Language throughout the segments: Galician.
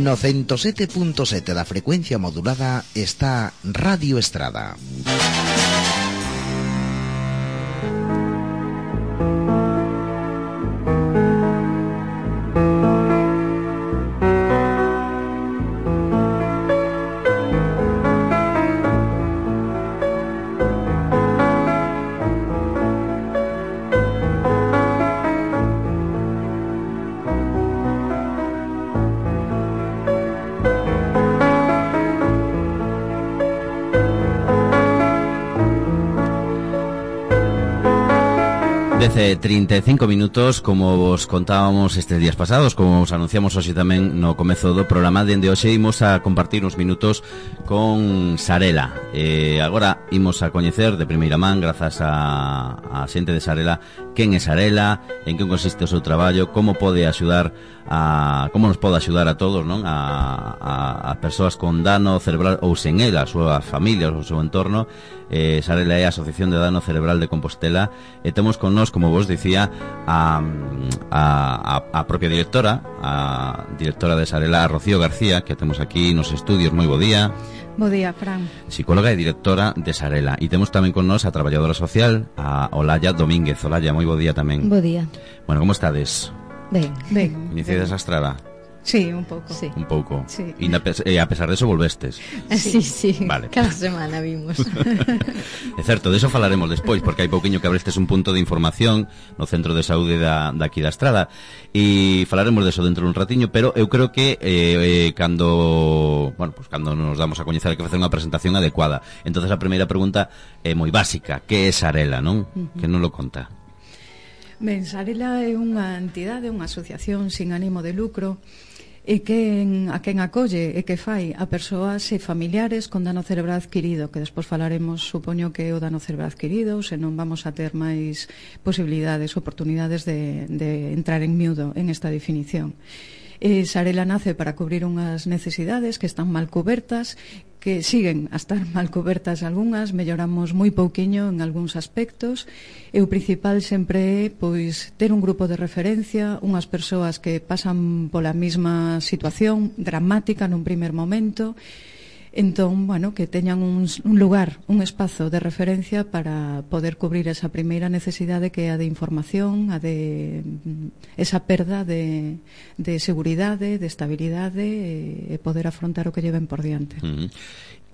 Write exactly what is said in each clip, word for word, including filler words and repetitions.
No ciento sete punto sete da frecuencia modulada está Radio Estrada. Dece trinta e cinco minutos, como vos contábamos estes días pasados, como vos anunciamos hoxe tamén no comezo do programa, dende hoxe imos a compartir uns minutos con Sarela. Eh, agora imos a coñecer de primeira man, grazas a, a xente de Sarela, quen é Sarela, en que consiste o seu traballo, como pode axudar a, como nos pode axudar a todos, non? A, a, a persoas con dano cerebral ou sen ela, a súa familia, o seu entorno. Eh, Sarela é a Asociación de Dano Cerebral de Compostela e temos con nós, como vos dicía, a, a, a propia directora, a directora de Sarela, a Rocío García, que temos aquí nos estudios. Moi bo día. Bo día, Fran. Psicóloga e directora de Sarela. E temos tamén con nós a traballadora social, a Olalla Domínguez. Olalla, moi bo día tamén. Bo día. Bueno, como estades? Ben. Ben. Iniciades a estrada? Sí, un pouco. Sí. Un pouco. Sí. E a pesar de eso volvestes. Sí, sí. Vale. Cada semana vimos. É certo, de eso falaremos despois, porque hai pouquiño que abrestes un punto de información no Centro de Saúde da, daqui da Estrada, e falaremos de eso dentro dun ratiño, pero eu creo que eh, eh, cando, bueno, pues cando nos damos a coñecer hai que facer unha presentación adecuada. Entonces a primeira pregunta é moi básica: que é Sarela, non? Uh-huh. Que non lo conta. Ben, Sarela é unha entidade, unha asociación sin ánimo de lucro, e quen, a quen acolle e que fai a persoas e familiares con dano cerebral adquirido, que despois falaremos, supoño, que é o dano cerebral adquirido, se non vamos a ter máis posibilidades, oportunidades de, de entrar en miúdo en esta definición. E Sarela nace para cubrir unhas necesidades que están mal cubertas, que siguen a estar mal cubertas algunhas, melloramos moi pouquiño en algúns aspectos, e o principal sempre é pois ter un grupo de referencia, unhas persoas que pasan pola mesma situación dramática nun primer momento. Entón, bueno, que teñan un, un lugar, un espazo de referencia para poder cubrir esa primeira necesidade, que é a de información, a de esa perda de, de seguridade, de estabilidade, e, e poder afrontar o que lleven por diante. Uh-huh.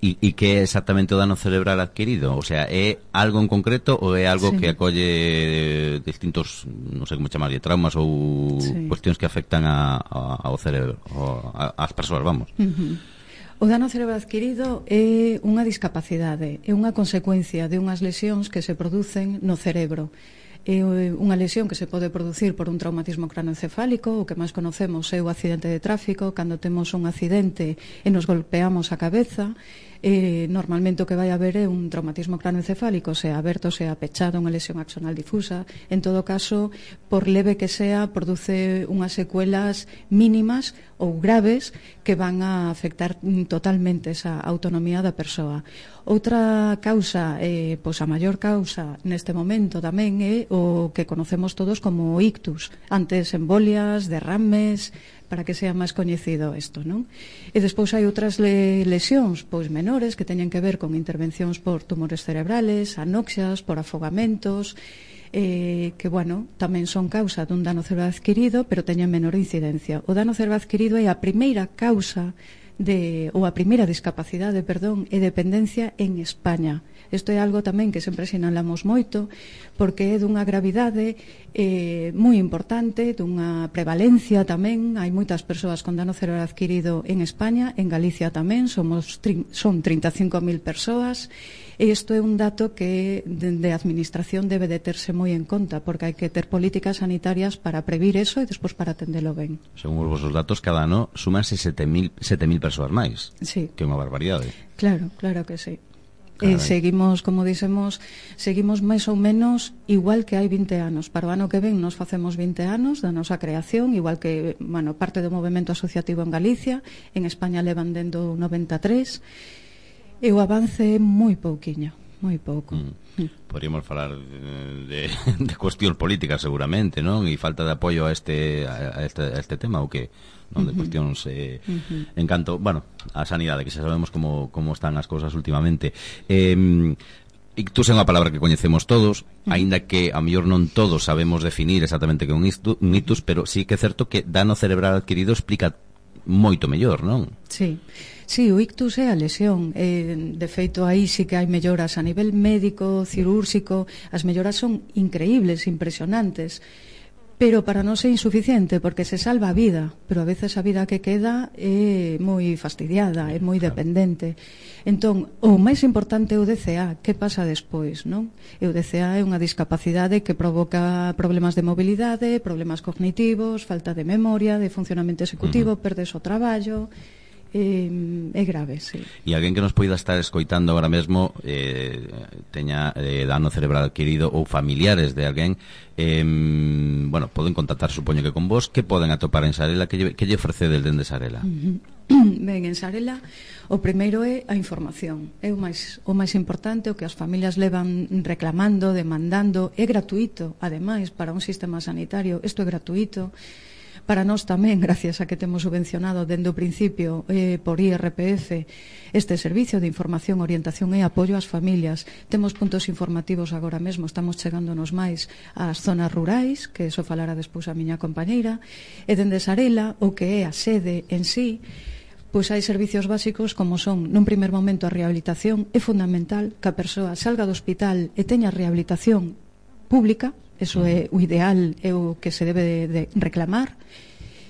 E, e que é exactamente o dano cerebral adquirido? O sea, é algo en concreto ou é algo sí. que acolle distintos, non sei como chamarlle, traumas ou sí. cuestións que afectan a, a, ao cerebro, a, a, as persoas, vamos? Uh-huh. O dano cerebral adquirido é unha discapacidade, é unha consecuencia de unhas lesións que se producen no cerebro. É unha lesión que se pode producir por un traumatismo cranoencefálico, o que máis conocemos é o accidente de tráfico, cando temos un accidente e nos golpeamos a cabeza. Eh, normalmente o que vai haber é un traumatismo cranoencefálico, sea aberto, sea pechado, unha lesión axonal difusa. En todo caso, por leve que sea, produce unhas secuelas mínimas ou graves que van a afectar totalmente esa autonomía da persoa. Outra causa, eh, pois a maior causa neste momento tamén é o que conocemos todos como ictus, antes embolias, derrames, para que sea máis coñecido isto, non? E despois hai outras le lesións pois menores que teñen que ver con intervencións por tumores cerebrales, anoxias, por afogamentos, eh, que, bueno, tamén son causa dun dano cerebral adquirido, pero teñen menor incidencia. O dano cerebral adquirido é a primeira causa de, ou a primeira discapacidade, perdón, e dependencia en España. Isto é algo tamén que sempre sinalamos moito, porque é dunha gravidade eh, moi importante, dunha prevalencia tamén. Hai moitas persoas con dano cerebral adquirido en España, en Galicia tamén, somos son trinta e cinco mil persoas, e isto é un dato que de administración debe de terse moi en conta, porque hai que ter políticas sanitarias para previr eso e despois para atendelo ben. Según os vosos datos, cada ano sumanse sete mil persoas máis. Sí. Que é unha barbaridade. Claro, claro que sí. E seguimos, como dixemos, seguimos máis ou menos igual que hai vinte anos. Para o ano que ven nos facemos vinte anos da nosa creación, igual que, bueno, parte do movemento asociativo en Galicia. En España levan dendo noventa e tres, e o avance é moi pouquiño, moi pouco. Mm. Podríamos falar de, de, de cuestións políticas seguramente, non? E falta de apoio a este a este, a este tema, ou que non, de cuestións eh, uh-huh. en canto, bueno, a sanidade, que xa sabemos como, como están as cousas últimamente. Eh, ictus é unha palabra que coñecemos todos, uh-huh. aínda que a mellor non todos sabemos definir exactamente que é un ictus, pero sí que é certo que dano cerebral adquirido explica moito mellor, non? Sí. Sí, o ictus é a lesión. Eh, de feito, aí sí que hai melloras a nivel médico, cirúrxico. As melloras son increíbles, impresionantes. Pero para non ser insuficiente, porque se salva a vida, pero a veces a vida que queda é moi fastidiada, é moi dependente. Entón, o máis importante é o D C A, que pasa despois, non? E o D C A é unha discapacidade que provoca problemas de mobilidade, problemas cognitivos, falta de memoria, de funcionamento executivo, uh-huh. perdes o traballo. É, é grave, sí. E alguén que nos poida estar escoitando agora mesmo eh, teña eh, dano cerebral adquirido ou familiares de alguén, eh, bueno, poden contactar, supoño que con vos. Que poden atopar en Sarela? Que lle, que lle ofrecedes dende Sarela? Uh-huh. Ben, en Sarela o primeiro é a información. É o máis, o máis importante, o que as familias levan reclamando, demandando. É gratuito, ademais, para un sistema sanitario. Isto é gratuito. Para nós tamén, gracias a que temos subvencionado dende o principio eh, por I R P F este servicio de información, orientación e apoio ás familias. Temos puntos informativos agora mesmo, estamos chegándonos máis ás zonas rurais, que eso falará despois a miña compañeira, e dende Sarela, o que é a sede en sí, pois hai servicios básicos como son, nun primer momento, a rehabilitación. É fundamental que a persoa salga do hospital e teña rehabilitación pública. Eso é o ideal, é o que se debe de, de reclamar,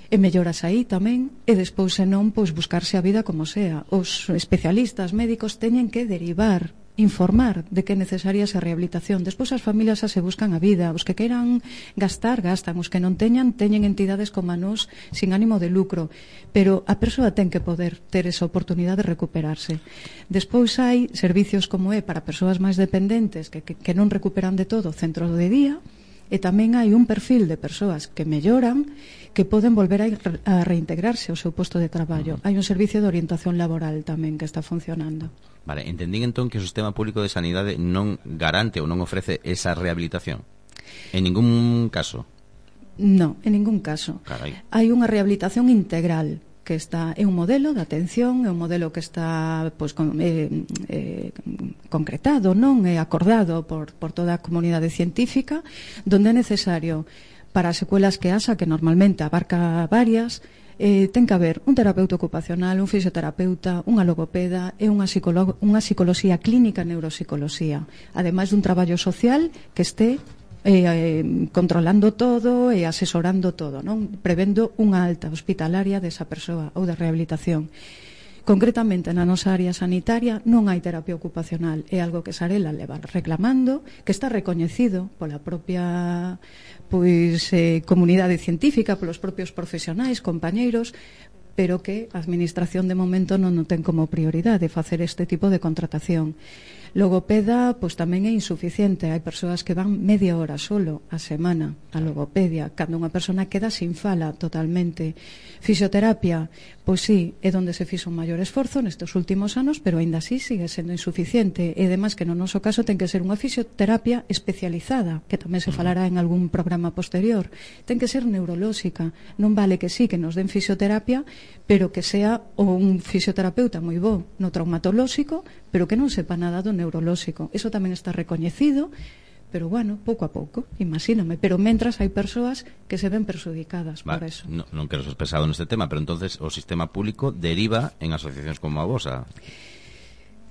e melloras aí tamén, e despois, se non, pois buscarse a vida como sea. Os especialistas médicos teñen que derivar, informar de que é necesaria esa rehabilitación. Despois as familias xa se buscan a vida, os que queiran gastar, gastan, os que non teñan, teñen entidades como a nós sin ánimo de lucro, pero a persoa ten que poder ter esa oportunidade de recuperarse. Despois hai servicios como é para persoas máis dependentes que, que, que non recuperan de todo, centro de día, e tamén hai un perfil de persoas que melloran, que poden volver a, a reintegrarse ao seu posto de traballo. Hai un servicio de orientación laboral tamén que está funcionando. Vale, entendín entón que o sistema público de sanidade non garante ou non ofrece esa rehabilitación en ningún caso. Non, en ningún caso. Carai. Hai unha rehabilitación integral que está, é un modelo de atención, é un modelo que está pois, con, eh, eh, concretado, non é acordado por, por toda a comunidade científica, donde é necesario para as secuelas que A S A, que normalmente abarca varias, eh, ten que haber un terapeuta ocupacional, un fisioterapeuta, unha logopeda e unha, psicolo- unha psicoloxía clínica, neuropsicoloxía, ademais dun traballo social que este Eh, eh, controlando todo e asesorando todo, non? Prevendo unha alta hospitalaria desa persoa ou de rehabilitación. Concretamente na nosa área sanitaria non hai terapia ocupacional, é algo que Sarela leva reclamando, que está recoñecido pola propia pois eh, comunidade científica, polos propios profesionais, compañeiros, pero que a administración de momento non o ten como prioridade facer este tipo de contratación. Logopeda, pois tamén é insuficiente. Hai persoas que van media hora solo a semana a logopedia, cando unha persona queda sin fala totalmente. Fisioterapia, pois sí, é onde se fixo un maior esforzo nestes últimos anos, pero aínda así sigue sendo insuficiente. E ademais que no noso caso ten que ser unha fisioterapia especializada, que tamén se falará en algún programa posterior. Ten que ser neurolóxica. Non vale que sí, que nos den fisioterapia, pero que sea un fisioterapeuta moi bo no traumatolóxico, pero que non sepa nada do neurolóxico. Eso tamén está recoñecido, pero bueno, pouco a pouco, imagíname. Pero mentras hai persoas que se ven perjudicadas Va, por eso. No, non quero ser pesado neste tema, pero entonces o sistema público deriva en asociacións como a vosa.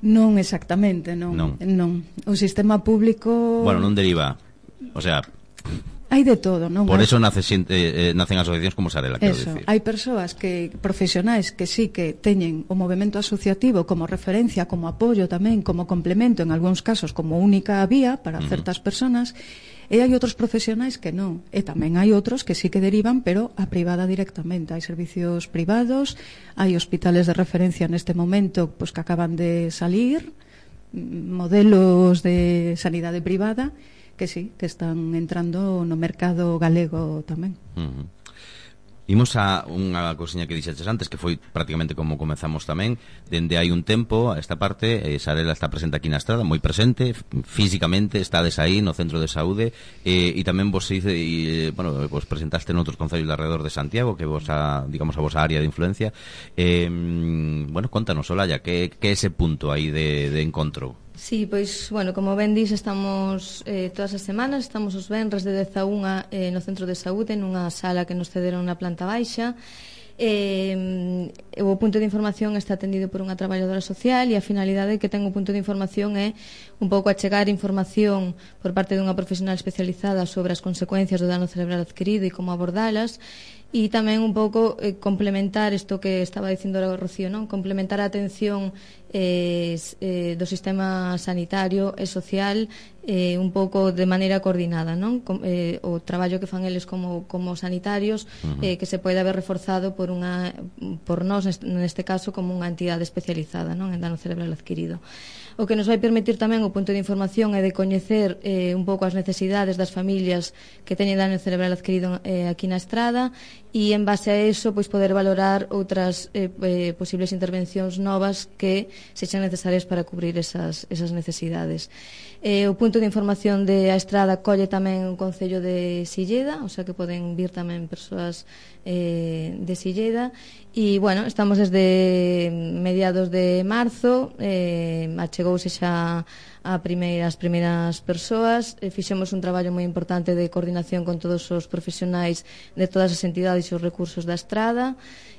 Non exactamente, non. Non. non. O sistema público... Bueno, non deriva, o sea... Hai de todo, non? Por eso nace, eh, nacen asociacións como Sarela, quero Eso, dicir. hai persoas que profesionais que sí que teñen o movemento asociativo como referencia, como apoio tamén, como complemento, en algúns casos como única vía para uh-huh. certas personas, e hai outros profesionais que non, e tamén hai outros que sí que derivan, pero a privada directamente. Hai servicios privados, hai hospitales de referencia neste momento pois que acaban de salir, modelos de sanidade privada que sí, que están entrando no mercado galego tamén. Uh-huh. Imos a unha cousiña que dixeches antes, que foi prácticamente como comezamos tamén. Dende hai un tempo, a esta parte, eh, Sarela está presente aquí na Estrada, moi presente, físicamente, estades aí no centro de saúde, eh, e tamén vos hice, e, bueno, vos presentaste noutros concellos de alrededor de Santiago, que vos a, digamos, a vosa área de influencia. Eh, bueno, contanos, Olalla, que, que é ese punto aí de, de encontro? Sí, pois, bueno, como ben dis, estamos eh, todas as semanas, estamos os venres de dez a unha eh, no centro de saúde, nunha sala que nos cederon na planta baixa. Eh, o punto de información está atendido por unha traballadora social e a finalidade que ten o punto de información é un pouco achegar información por parte dunha profesional especializada sobre as consecuencias do dano cerebral adquirido e como abordalas, e tamén un pouco eh, complementar isto que estaba dicindo o Rocío, non? Complementar a atención eh, eh, do sistema sanitario e social eh, un pouco de maneira coordinada, non? Com, eh, o traballo que fan eles como, como sanitarios uh-huh. eh, que se pode haber reforzado por unha por nós, neste caso, como unha entidade especializada, non? En dano cerebral adquirido. O que nos vai permitir tamén o punto de información é de coñecer eh, un pouco as necesidades das familias que teñen dano cerebral adquirido eh, aquí na Estrada, e en base a eso pois poder valorar outras eh, eh, posibles intervencións novas que sexan necesarias para cubrir esas, esas necesidades. Eh, o punto de información de a Estrada colle tamén o Concello de Silleda, o sea que poden vir tamén persoas eh, de Silleda, e bueno, estamos desde mediados de marzo, eh, achegouse xa a primeira, as primeiras persoas, eh, fixemos un traballo moi importante de coordinación con todos os profesionais de todas as entidades e os recursos da Estrada,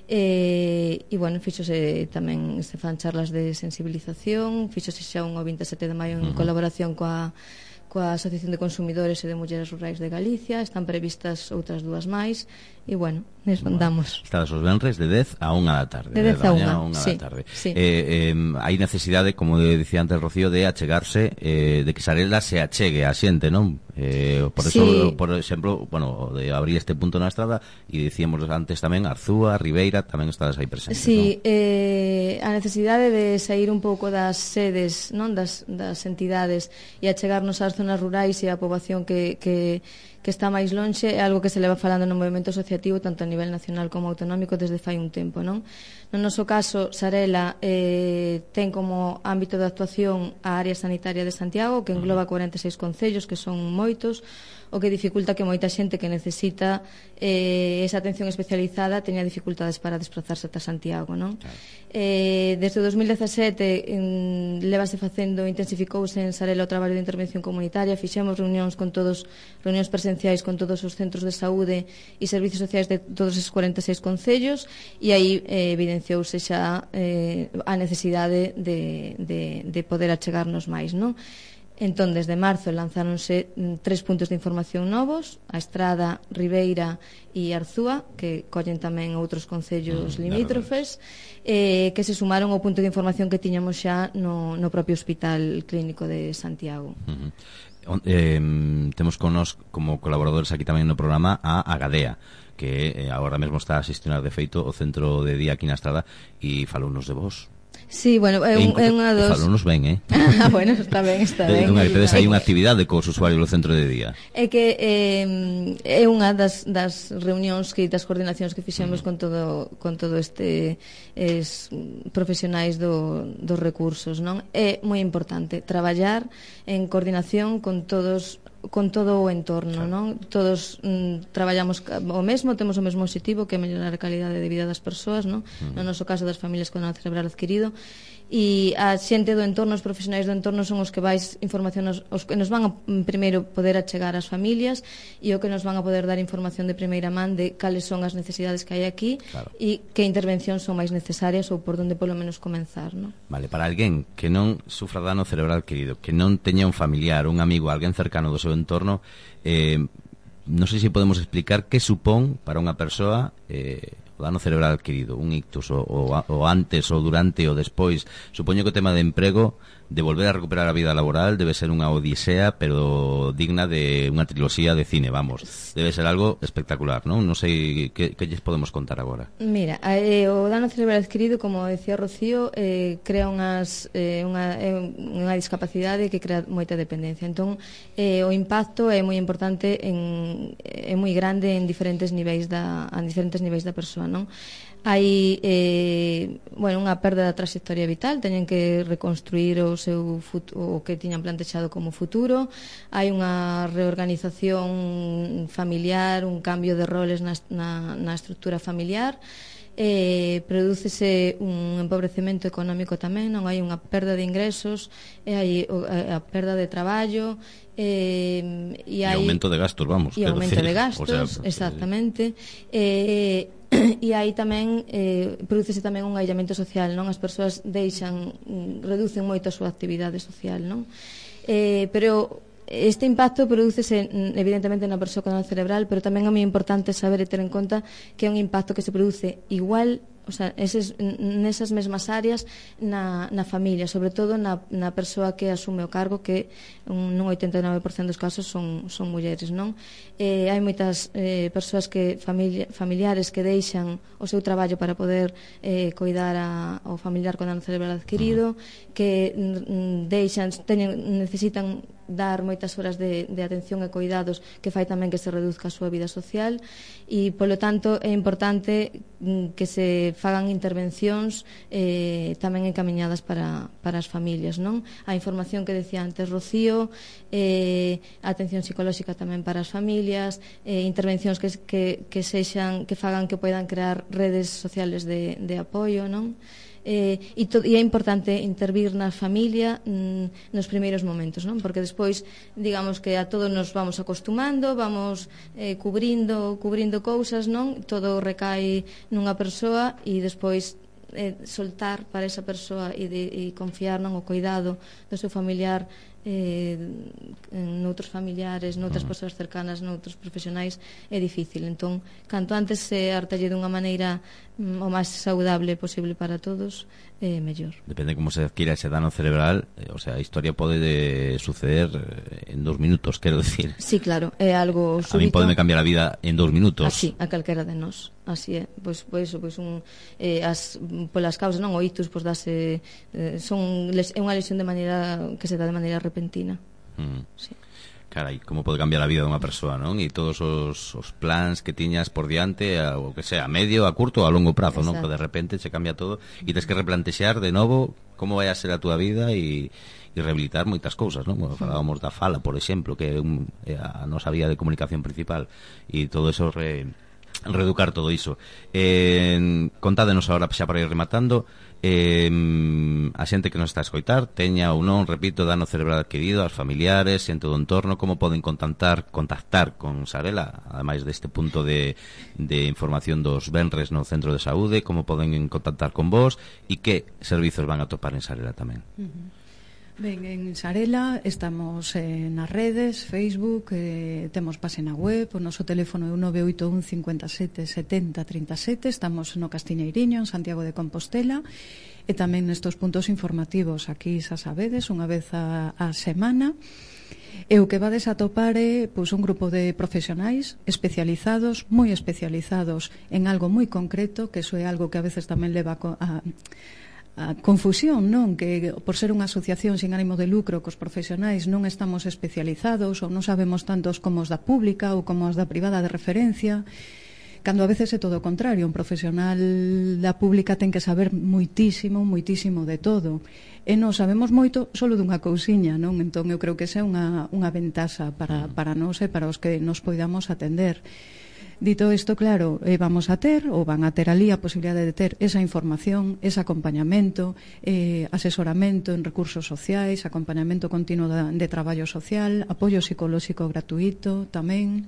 e, e bueno, fixose tamén, se fan charlas de sensibilización, fixose xa un o vinte e sete de maio en colaboración coa coa Asociación de Consumidores e de Mulleres Rurais de Galicia, están previstas outras dúas máis, e bueno, nes andamos. Estades os venres de dez a unha da tarde. De dez a unha, da sí, tarde. sí. Eh, eh, hai necesidade, como dicía antes Rocío, de achegarse, eh, de que Sarela se achegue a xente, non? Eh, por eso, sí. por exemplo, bueno, de abrir este punto na Estrada, e dicíamos antes tamén Arzúa, Ribeira, tamén estades aí presentes, sí, non? eh, a necesidade de sair un pouco das sedes, non, das, das entidades e achegarnos ás zonas rurais e a poboación que, que, que está máis lonxe é algo que se leva falando no movimento asociativo tanto a nivel nacional como autonómico desde fai un tempo, non? No noso caso, Sarela eh, ten como ámbito de actuación a área sanitaria de Santiago, que engloba cuarenta e seis concellos, que son moitos, o que dificulta que moita xente que necesita eh, esa atención especializada teña dificultades para desplazarse ata Santiago, non? Claro. Eh, desde o dos mil dezasete en, levase facendo, intensificouse en Sarela o traballo de intervención comunitaria, fixemos reunións con todos, reunións presenciais con todos os centros de saúde e servicios sociais de todos os cuarenta e seis concellos, e aí eh, evidenciouse xa eh, a necesidade de, de, de poder achegarnos máis, non? Entón, desde marzo lanzáronse tres puntos de información novos, a Estrada, Ribeira e Arzúa, que collen tamén outros concellos mm, limítrofes, eh, que se sumaron ao punto de información que tiñamos xa no, no propio Hospital Clínico de Santiago. Uh-huh. eh, temos con nos como colaboradores aquí tamén no programa a Agadea, que eh, agora mesmo está a xestionar de feito o centro de día aquí na Estrada, e falounos de vos. Sí, bueno, é, un, é unha dos... Falonos ben, eh? Ah, bueno, está ben, está ben. Non hai tedes aí unha actividade cos usuarios do centro de día. É que eh, é unha das, das reunións que das coordinacións que fixemos mm. con todo con todo este es, profesionais do, dos recursos, non? É moi importante traballar en coordinación con todos con todo o entorno, claro. Non? Todos mm, traballamos o mesmo, temos o mesmo objetivo, que é mellorar a calidade de vida das persoas, non? Mm. No noso caso das familias con dano cerebral adquirido, e a xente do entorno, os profesionais do entorno son os que vais información os, os que nos van a primeiro poder achegar ás familias e o que nos van a poder dar información de primeira man de cales son as necesidades que hai aquí, claro. E que intervencións son máis necesarias ou por onde polo menos comenzar, non? Vale, para alguén que non sufra dano cerebral adquirido, que non teña un familiar, un amigo, alguén cercano do seu entorno, eh, non sei se podemos explicar que supón para unha persoa eh, o dano cerebral adquirido, un ictus, o, o, o antes, o durante, o despois. Supoño que o tema de emprego de volver a recuperar a vida laboral debe ser unha odisea, pero digna de unha triloxía de cine, vamos. Debe ser algo espectacular, non? Non sei que, que lles podemos contar agora. Mira, eh, o dano cerebral adquirido, como decía Rocío, eh, crea unhas, eh, unha, eh, unha discapacidade que crea moita dependencia. Entón, eh, o impacto é moi importante, en, é moi grande en diferentes niveis da, en diferentes niveis da persoa, non? Hai eh, bueno, unha perda da trayectoria vital, teñen que reconstruir o seu futuro, o que tiñan plantexado como futuro. Hai unha reorganización familiar, un cambio de roles na, na, na estructura familiar. Eh, prodúcese un empobrecemento económico tamén, non hai unha perda de ingresos, e hai a, a perda de traballo, eh, e hai e aumento de gastos, vamos, e aumento decir, de gastos, o sea, exactamente. Eh, e aí tamén eh, prodúcese tamén un aillamento social, non? As persoas deixan, reducen moito a súa actividade social, non? Eh, pero este impacto prodúcese evidentemente na persoa con dano cerebral, pero tamén é moi importante saber e ter en conta que é un impacto que se produce igual, o sea, eses, nesas mesmas áreas na, na familia, sobre todo na, na persoa que asume o cargo, que un, nun oitenta e nove por cento dos casos son, son mulleres, non? Eh, hai moitas eh, persoas que familia, familiares que deixan o seu traballo para poder eh, coidar a, ao familiar con dano cerebral adquirido, que mm, deixan, teñen, necesitan dar moitas horas de, de atención e cuidados, que fai tamén que se reduzca a súa vida social, e polo tanto é importante que se fagan intervencións eh, tamén encamiñadas para, para as familias, non? A información que decía antes Rocío, eh, a atención psicolóxica tamén para as familias, eh, intervencións que, que, que sexan, que fagan que poidan crear redes sociales de, de apoio, non? Eh, e, to, e é importante intervir na familia mm, nos primeiros momentos, non? Porque despois, digamos que a todos nos vamos acostumando, vamos eh, cubrindo, cubrindo cousas, non? Todo recae nunha persoa e despois eh, soltar para esa persoa e, de, e confiar non o cuidado do seu familiar eh, noutros familiares, noutras persoas cercanas, noutros profesionais, é difícil. Entón, canto antes se artalle dunha maneira mm, o máis saudable posible para todos, é eh, mellor. Depende como se adquira ese dano cerebral, eh, o sea, a historia pode de suceder en dos minutos, quero decir. Sí, claro, é algo súbito. A mí pode me cambiar a vida en dos minutos. Así, a calquera de nós. Así é, pois, pois, pois un, eh, as, polas causas, non, o ictus, pois dase, eh, son, é unha lesión de maneira que se dá de maneira repentina. Mm. Sí. Carai, como pode cambiar a vida dunha persoa, non? E todos os, os plans que tiñas por diante, a, o que sea, a medio, a curto ou a longo prazo, non? Que de repente se cambia todo e tens que replantexar de novo como vai a ser a túa vida e, e rehabilitar moitas cousas, non? Bueno, falábamos da fala, por exemplo, que é, un, é a nosa vía de comunicación principal, e todo eso re, reeducar todo iso. Eh, contádenos agora xa para ir rematando, eh, a xente que nos está a escoitar, teña ou non, repito, dano cerebral adquirido, aos familiares, xente do entorno, como poden contactar contactar con Sarela, ademais deste punto de, de información dos venres no centro de saúde, como poden contactar con vos e que servizos van a topar en Sarela tamén. Uh-huh. Ben, en Sarela estamos eh, nas redes, Facebook, eh, temos página web, o noso teléfono é o nove oito un cinco sete sete zero tres sete, estamos no Castiñeiriño, en Santiago de Compostela, e tamén nestos puntos informativos aquí, xa sabedes, unha vez a, a semana. E o que vades a topar é pois, un grupo de profesionais especializados, moi especializados en algo moi concreto, que iso é algo que a veces tamén leva a... a confusión, non? Que por ser unha asociación sin ánimo de lucro que os profesionais non estamos especializados ou non sabemos tantos como os da pública ou como os da privada de referencia, cando a veces é todo o contrario. Un profesional da pública ten que saber moitísimo, moitísimo de todo, e non sabemos moito solo dunha cousiña, non? Entón eu creo que esa é unha, unha ventaxa para, para nós e para os que nos poidamos atender. Dito isto, claro, eh, vamos a ter, ou van a ter ali a posibilidade de ter esa información, ese acompañamento, eh, asesoramento en recursos sociais, acompañamento continuo de, de traballo social, apoio psicolóxico gratuito tamén,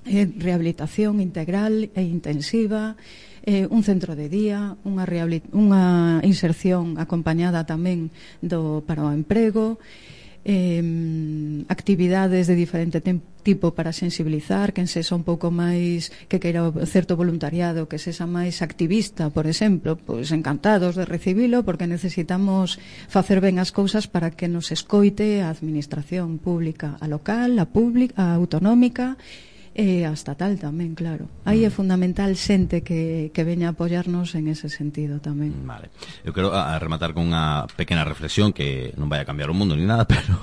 eh, rehabilitación integral e intensiva, eh, un centro de día, unha, unha inserción acompañada tamén do, para o emprego, Eh, actividades de diferente tipo para sensibilizar, quen sexa un pouco máis, que queira certo voluntariado, que sexa máis activista, por exemplo, pois encantados de recibilo, porque necesitamos facer ben as cousas para que nos escoite a administración pública, a local, a pública, a autonómica, e a estatal tamén, claro. Aí é fundamental xente que, que veña a apoiarnos en ese sentido tamén. Vale. Eu quero a, a rematar con unha pequena reflexión que non vai a cambiar o mundo ni nada, pero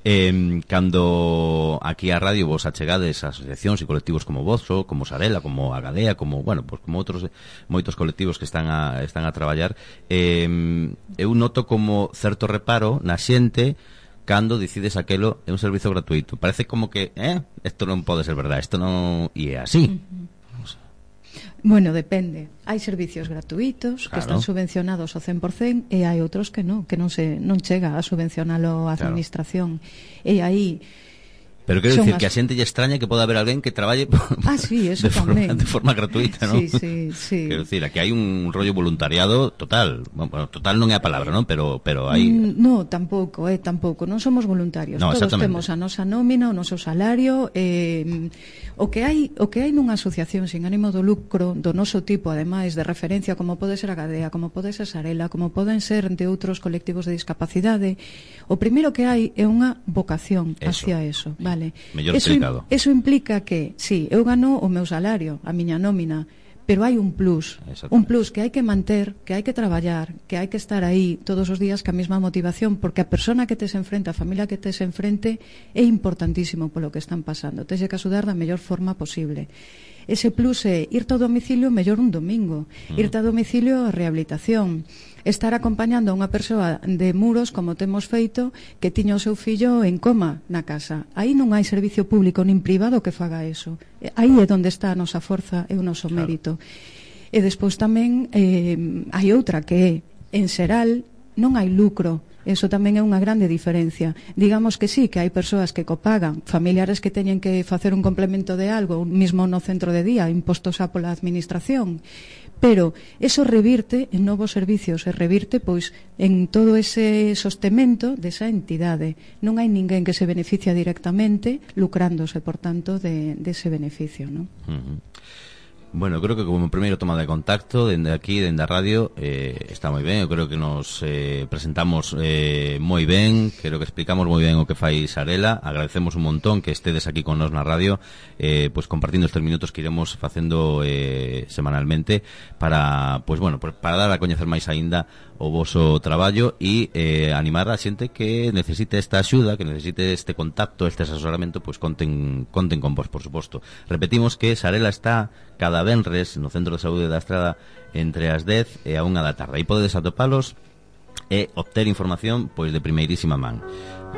eh, cando aquí a radio vos achegades a asociacións e colectivos como vos, como Sarela, como a Gadea, como, bueno, pues como outros moitos colectivos que están a, están a traballar, eh, eu noto como certo reparo na xente cando decides aquelo é un servizo gratuito. Parece como que, eh, isto non pode ser verdade, isto non... E é así. Uh-huh. O sea. Bueno, depende. Hai servicios gratuitos, claro, que están subvencionados ao cen por cen, e hai outros que non, que non se non chega a subvencionalo a administración. Claro. E aí... Pero quero dicir as... que a xente lle extraña que pode haber alguén que traballe ah, sí, eso de, forma, de forma gratuita, ¿no? Sí, sí, sí. Quero dicir, aquí hai un rollo voluntariado total. Bueno, total non é a palabra, ¿no? Pero pero hai mm, No, tampouco, eh, tampouco, non somos voluntarios. No, todos temos a nosa nómina, o noso salario, eh, o que hai, o que hai nunha asociación sin ánimo de lucro do noso tipo, ademais de referencia, como pode ser a Gadea, como pode ser Sarela, como poden ser de outros colectivos de discapacidade, o primeiro que hai é unha vocación eso. Hacia eso, vale? Mellor eso, explicado. Eso implica que, sí, eu gano o meu salario, a miña nómina, pero hai un plus, un plus que hai que manter, que hai que traballar, que hai que estar aí todos os días ca mesma motivación, porque a persona que tes enfrente, a familia que tes enfrente é importantísimo polo que están pasando, tes que axudar da mellor forma posible. Ese plus é irte ao domicilio mellor un domingo, mm. irte ao domicilio a rehabilitación, estar acompañando a unha persoa de Muros, como temos feito, que tiña o seu fillo en coma na casa. Aí non hai servicio público nin privado que faga eso. Aí é onde está a nosa forza e o noso claro. Mérito. E despois tamén eh, hai outra que é, en xeral, non hai lucro. Eso tamén é unha grande diferencia. Digamos que sí, que hai persoas que copagan, familiares que teñen que facer un complemento de algo, mismo no centro de día, impostos a pola administración, pero eso revirte en novos servicios, e revirte pois en todo ese sostemento desa entidade. Non hai ninguén que se beneficia directamente lucrándose, por tanto, de, de ese beneficio, non? Uh-huh. Bueno, creo que como primeiro toma de contacto dende aquí, dende a radio, eh, está moi ben. Eu creo que nos eh, presentamos eh, moi ben, creo que explicamos moi ben o que fai Sarela. Agradecemos un montón que estedes aquí con nos na radio, eh, pues compartindo estes minutos que iremos facendo eh, semanalmente para, pues bueno, para dar a coñecer máis aínda o voso traballo e eh, animar a xente que necesite esta axuda, que necesite este contacto, este asesoramento, pues conten, conten con vos, por suposto. Repetimos que Sarela está cada venres no Centro de Saúde da Estrada entre as dez e a unha da tarde. Aí podedes atopalos e obter información pois de primeirísima man.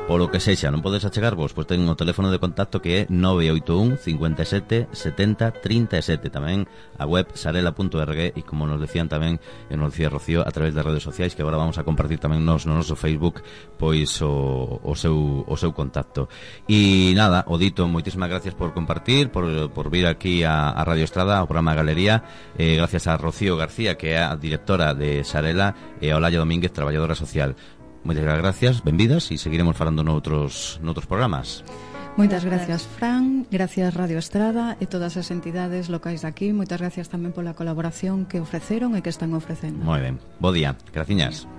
Polo que sexa, non podes achegarvos, pois ten o teléfono de contacto que é nove oito un, cinco sete, setenta, trinta e sete. Tamén a web sarela punto org e, como nos decían tamén, e nos decía Rocío, a través das redes sociais, que agora vamos a compartir tamén nos no noso Facebook pois o, o, seu, o seu contacto. E nada, o dito, moitísimas gracias por compartir, por, por vir aquí a, a Radio Estrada, ao programa Galería. Eh, gracias a Rocío García, que é a directora de Sarela, e a Olalla Domínguez, traballadora social. Moitas gracias, benvidas, e seguiremos falando noutros, noutros programas. Moitas gracias, Fran, gracias Radio Estrada e todas as entidades locais daqui. Moitas gracias tamén pola colaboración que ofreceron e que están ofrecendo. Moi ben, bo día, graciñas.